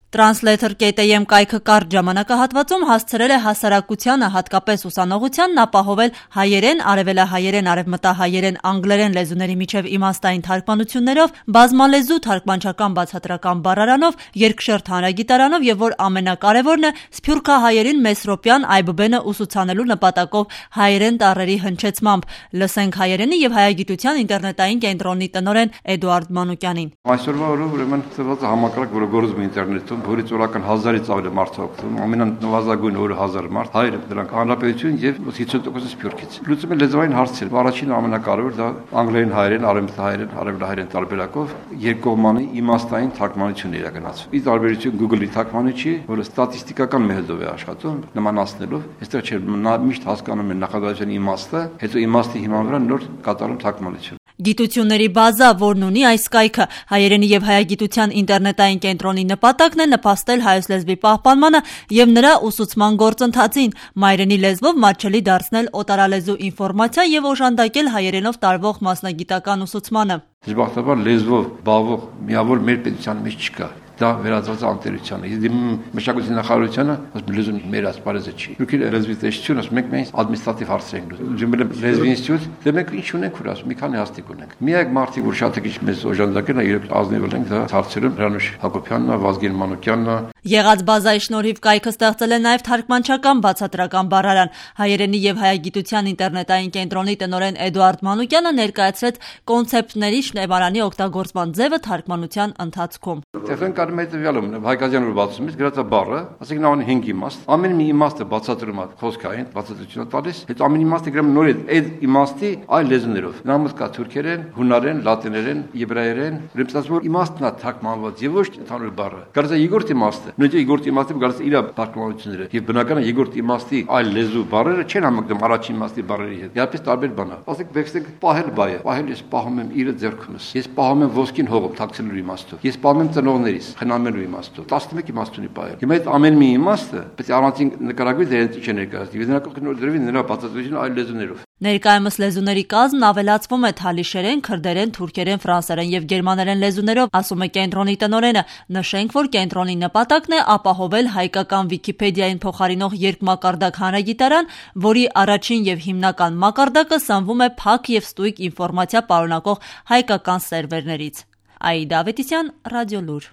Translator.am կայքը կարճ ժամանակահատվածում հասցրել է հասարակությանը, հատկապես ուսանողությանն ապահովել հայերեն, արևելահայերեն, արևմտահայերեն, անգլերեն լեզուների միջև իմաստային թարգմանություններով, բազմալեզու թարգմանչական բացատրական բառարանով, երկշերտ հանրագիտարանով եւ որ ամենակարևորն է, սփյուռքահայերին մեսրոպյան այբբենը ուսուցանելու նպատակով հայերեն տառերի հնչեցմամբ։ Լսենք հայերենի եւ հայագիտության ինտերնետային կենտրոնի տնօրեն Էդուարդ Մանուկյանին։ Այսօրվա օրը ուրեմն ծրված համակարգ, որը գործում է ինտերնետում, որից օրական 1000-ից ավելի մարդ է օգտվում, ամենանվազագույն օրը 1000 մարդ, հայերը դրանք հանրապետություն եւ 50% սփյուռքից։ Լուծում է լեզվային հարցեր։ Առաջին ամենակարևոր դա անգլերեն, հայերեն, արևմտահայերեն, արևելահայերեն տարբերակով երկկողմանի իմաստային թարգմանություն իրականացվում։ Ի տարբերություն Google-ի թարգմանիչի, որը ստատիստիկական մեթոդով է աշխատում, նմանացնելով, այստեղ չէ միշտ հասկանում են նախադասության իմաստը, հետո իմաստի հիման վրա նոր կատարում թարգմանություն։ Գիտությունների բազա, որն ունի այս կայքը, հայերենի եւ հայագիտության ինտերնետային կենտրոնի նպատակն է նպաստել հայոց լեզվի պահպանմանը եւ նրա ուսուցման գործընթացին, մայրենի լեզվով մատչելի դարձնել օտարալեզու ինֆորմացիա եւ օժանդակել հայերենով տարվող մասնագիտական ուսուցմանը։ Դժբախտաբար լեզվով զբաղվող միավոր մեր պետության մեջ չկա։ Դա վերածված է անկերությանը։ Իսկ մշակույթի նախարարությունը ասում լեզուն մեր ասպարեզը չի։ Դուք լեզվի տեսչություն ասում եք մենք ադմինիստրատիվ հարցեր ենք լուծում։ Ջիմել լեզվի ինստիտուտ, դե մենք ինչ ունենք որ ասում մի քանի հաստիկ ունենք։ Միակ մարդիկ որ շատ քիչ մեզ օժանդակեն է իրենք ազնիվ ենք դա հարցերում Հրանուշ Հակոբյանն է, Վազգեն Մանուկյանն է։ Եղած բազայի շնորհիվ կայքը ստեղծել է նաև թարգմանչական բացատրական բառարան։ Հայերենի եւ հայագիտության ինտերնետային կենտրոնի տնօրեն Էդուարդ Մանուկյանը ներկայացրեց կոնցեպտների շնեբարանի օգտագործման ձևը թարգմանության ընթացքում։ Հայկազյանը բացում է գրածա բառը, ասենք նա ունի 5 իմաստ, ամեն մի իմաստը բացատրում է խոսքային, բացատրություն է տալիս, հետո ամեն իմաստը գրում նոր այդ իմաստի այլ լեզուներով։ Նամուս կա թուրքերեն, հունարեն, լատիներեն, եբրայերեն, ուրեմն որ իմաստն է թարգմանված եւ ոչ ընդհանուր բառը։ Գարզա երկրորդ իմաստը, նույնիսկ երկրորդ իմաստը գալիս իր թարգմանությունները եւ բնական է երկրորդ իմաստի այլ լեզու բառերը չեն համընկնում առաջին իմաստի բառերի հետ։ Իհարկե տարբեր բան է։ Ասենք բեքստենք պահել բայը, պահել ես պահում եմ իր ձեռքումս։ Ես պահում եմ ոսկին հողում թաքցնելու իմաստով։ Ես պահում եմ ծնողներիս, խնամելու իմաստով։ 11 իմաստ ունի բայը։ Հիմա այդ ամեն մի իմաստը պետք է առանցին նկարագրվի դրանից ինչ է ներկայացնի։ Եվ նրա կողքին դրվի նրա բացատրությունը այլ լեզուներով։ Ներկայումս լեզուների կազմն ավելացվում է թալիշերեն, քրդերեն, թուրքերեն, ֆրանսերեն եւ գերմաներեն լեզուներով, ասում է կենտրոնի տնօրենը։ Նշենք, որ կենտրոնի նպատակն է ապահովել հայկական Վիկիպեդիային փոխարինող երկմակարդակ հանրագիտարան, որի առաջին եւ հիմնական մակարդակը սնվում է փակ եւ ստույգ ինֆորմացիա պարունակող հայկական սերվերներից։ Աիդա Ավետիսյան, Ռադիոլուր։